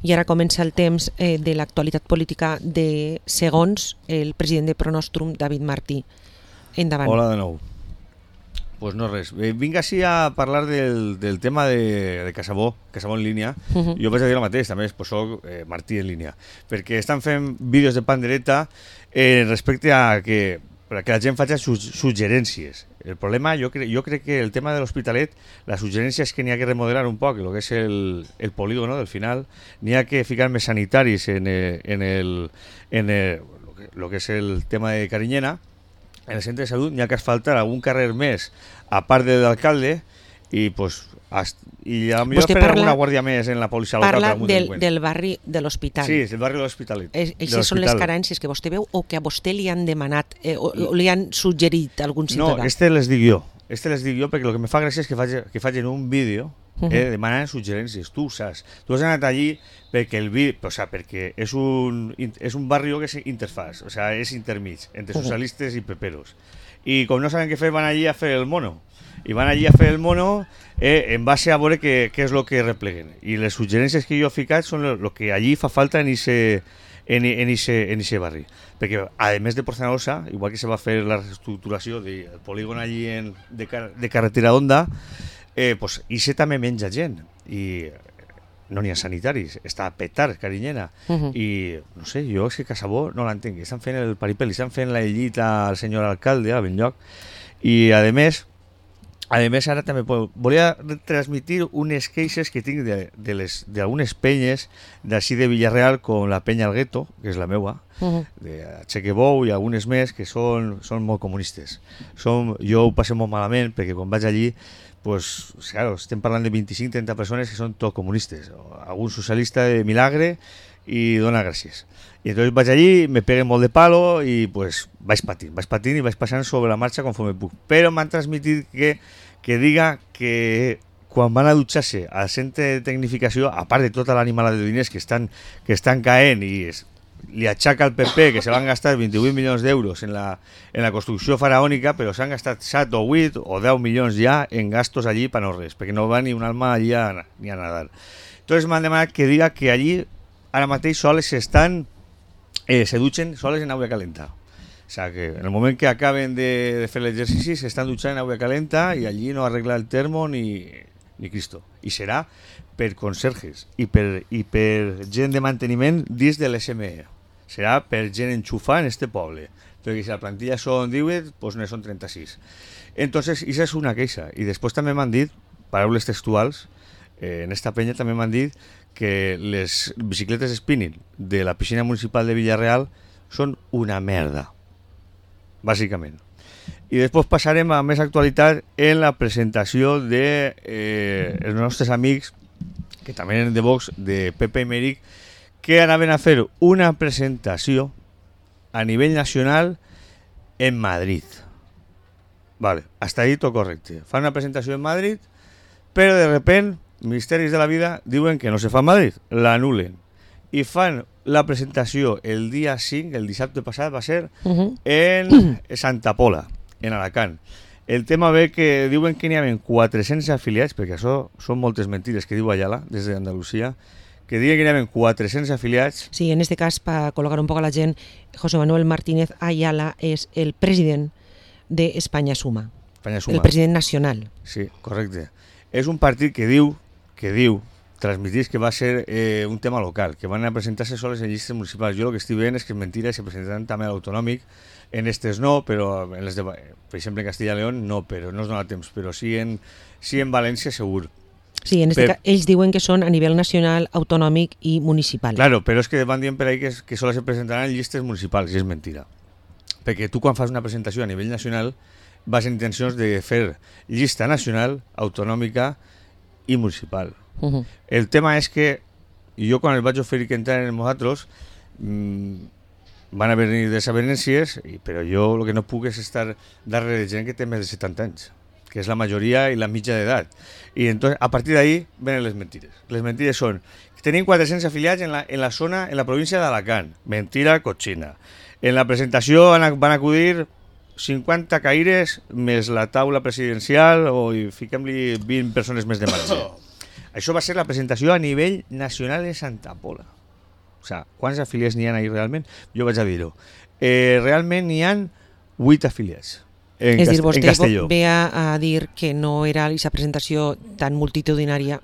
I ara comença el temps de l'actualitat política de segons el president de Pronostrum, David Martí. Endavant. Hola de nou. Pues no res. Vinc així a parlar del tema de Casabó en línia. Jo vaig a dir el mateix, també pues soc Martí en línia. Perquè estan fent vídeos de pandereta respecte a que la gent faci suggerències. El problema, jo crec que el tema de l'Hospitalet, la suggerència és que n'hi ha que remodelar un poc el que és el polígono del final, n'hi ha que ficar més sanitaris en lo que és el tema de Carinyena. En el centre de salut n'hi ha que asfaltar algun carrer més a part de l'alcalde i pues i a millor fer alguna guàrdia més en la policia local. Parla del barri de l'Hospital. Sí, el barri de l'Hospitalet. Aquestes són les carències que vostè veu o que a vostè li han demanat o li han suggerit a algun ciutadà? No, les dic jo perquè el que me fa gràcia és que facin un vídeo demanant suggerències. Tu ho saps. Tu has anat allí perquè perquè és un barri que és interfaz, és intermig entre socialistes i peperos. I com no saben què fer, van allí a fer el mono. I van allí a fer el mono en base a veure què és el que repleguen. I les suggerències que jo he ficat són el que allí fa falta en ese barri. Perquè, a més de Porzanosa, igual que se va fer la reestructuració del polígon allí de carretera d'Onda, pues ixe també menja gent. I no n'hi ha sanitaris, està a petar Carinyena. I no sé, jo és que Casabó no l'entenc. Estan fent el paripel, estan fent la llita al senyor alcalde a Benlloc. I a més ara també volia transmitir unes queixes que tinc d'algunes penyes d'ací de Villarreal, com la penya al gueto, que és la meua, de Chequebou i algunes més que són molt comunistes. Jo ho passo molt malament perquè quan vaig allí pues, claro, estem parlant de 25-30 persones que són tot comunistes, algun socialista de milagre i dona gràcies. I entonces vaig allí, me peguen molt de palo i pues vaig patint i vaig passant sobre la marxa conforme puc. Però m'han transmitit que diga que quan van a dutxar-se al centre de tecnificació, a part de tota l'animalada de diners que estan caent i li aixaca al PP que se van gastar 28 milions d'euros en la construcció faraònica, però s'han gastat 7 o 8 o 10 milions ja en gastos allí per no res, perquè no va ni un alma allí ni a nadar. Entonces m'han demanat que diga que allí ara mateix soles se dutxen soles en aigua calenta. O sea, que en el moment que acaben de fer l'exercici s'estan dutxant en aigua calenta i allí no arregla el termo ni Cristo. I serà per conserges i per gent de manteniment dins de l'SME. Serà per gent enxufar en este poble. Perquè si la plantilla són 18, doncs no són 36. Entonces, això és una queixa. I després també m'han dit, paraules textuals, en esta penya també m'han dit que les bicicletes spinning de la piscina municipal de Villarreal són una merda, bàsicament. I després passarem a més actualitat en la presentació de els nostres amics, que també eren de Vox, de Pepe i Meric, que anaven a fer una presentació a nivell nacional en Madrid. Vale, hasta ahí todo correcte. Fan una presentació en Madrid, però de repente, Ministeris de la Vida diuen que no se fa a Madrid, l'anulen. I fan la presentació el dia 5, el dissabte passat va ser, en Santa Pola, en Alacant. El tema ve que diuen que n'hi havia 400 afiliats, perquè això són moltes mentides que diu Ayala, des d'Andalusia, que diuen que n'hi havia 400 afiliats. Sí, en este cas, para colocar un poco a la gent, José Manuel Martínez Ayala és el president de España Suma. España Suma. El president nacional. Sí, correcte. És un partit que diu, transmitís que va ser un tema local, que van a presentar-se soles en llistes municipals. Jo el que estic veient és que és mentira, se presentaran també a l'autonòmic, en estes no, però en les de, per exemple en Castilla y León no, però no es dona temps, però sí en València segur. Sí, en este cas, ells diuen que són a nivell nacional, autonòmic i municipal. Claro, però és que van dient per ahí que sols se presentaran en llistes municipals, i és mentira. Perquè tu quan fas una presentació a nivell nacional vas en intencions de fer llista nacional, autonòmica i municipal. El tema és que jo quan els vaig oferir que entrar en nosaltres van haver-hi desavenències, però jo el que no puc és estar darrere de gent que té més de 70 anys, que és la majoria i la mitja d'edat. I entonces, a partir d'ahí venen les mentides. Les mentides són que tenim 400 afiliats en la zona, en la província d'Alacant. Mentira cochina. En la presentació van acudir 50 caires més la taula presidencial i fiquem-li 20 persones més de marge. Això va ser la presentació a nivell nacional de Santa Pola. O sigui, quants afiliats n'hi ha ahí realment? Jo vaig a dir-ho. Realment n'hi ha 8 afiliats. És dir, vostè ve a dir que no era aquesta presentació tan multitudinària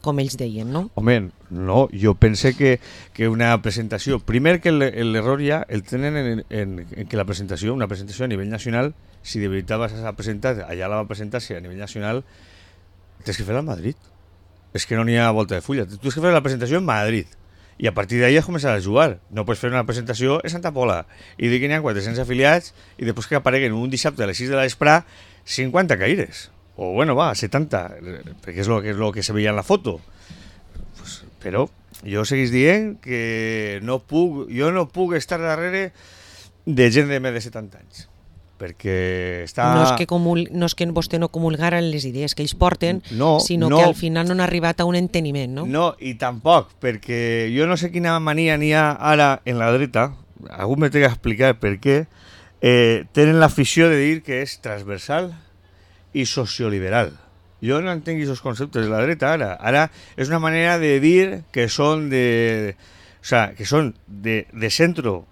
com ells deien, no? Home, no, jo pense que una presentació... Primer que l'error ja el tenen en que la presentació, una presentació a nivell nacional, si de veritat vas a presentar, allà la va presentar-se a nivell nacional, tens que fer-la a Madrid. És que no n'hi ha volta de fulla. Tu tens que fer la presentació en Madrid. I a partir d'ahí has començat a jugar. No pots fer una presentació en Santa Pola i dir que n'hi ha 400 afiliats i després que apareguen un dissabte a les 6 de la vespre 50 caires. O bueno, va, 70, perquè és lo que se veia en la foto. Pues, però jo seguís dient que jo no puc estar darrere de gent de més de 70 anys. Perquè està... No és que vostè no comulgara en les idees que ells porten, sinó que al final no han arribat a un enteniment, no? No, i tampoc, perquè jo no sé quina mania n'hi ha ara en la dreta, algú me té que explicar per què, tenen l'afició de dir que és transversal i socioliberal. Jo no entenc aquests conceptes de la dreta ara. Ara és una manera de dir que són de centro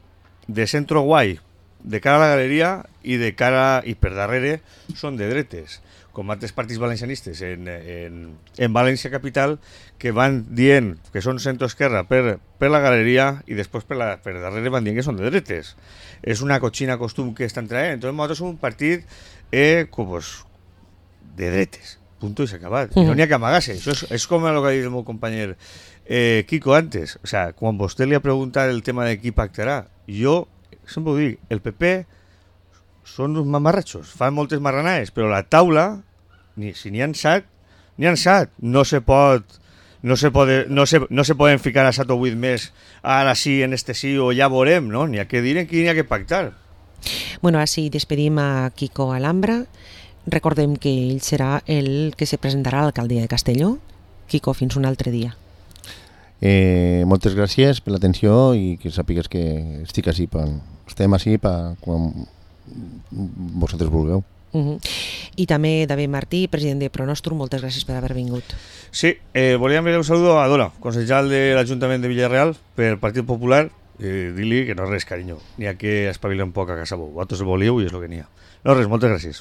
guai, de cara a la galeria i per darrere són de dretes, com altres partits valencianistes en València Capital, que van dient que són centro-esquerra per la galeria i després per darrere van dient que són de dretes. És una cochina costum que estan traient. Entonces nosaltres som un partit de dretes, punto i s'ha acabat. No n'hi ha que amagar-se. Això és com el que ha dit el meu company Kiko antes. O sea, quan vostè li ha preguntat el tema de qui pactarà, jo sempre ho dic, el PP són uns mamarratxos, fan moltes marranades, però la taula, si n'hi ha 7, n'hi ha 7. No se poden ficar a 7 o 8 més, ara sí, en este sí, o ja veurem, no? N'hi ha que dir en qui n'hi ha que pactar. Bueno, així despedim a Kiko Alhambra. Recordem que ell serà el que se presentarà a l'alcaldia de Castelló. Kiko, fins un altre dia. Moltes gràcies per l'atenció i que sàpigues que estem així quan vosaltres vulgueu. I també David Martí, president de Pronostrum, moltes gràcies per haver vingut. Sí, volia enviar un saludo a Dora, consellera de l'Ajuntament de Villarreal per Partit Popular, dir-li que no res, carinyo, n'hi ha que espavilar un poc a casa vos. Vosaltres volíeu i és el que n'hi ha. No res, moltes gràcies.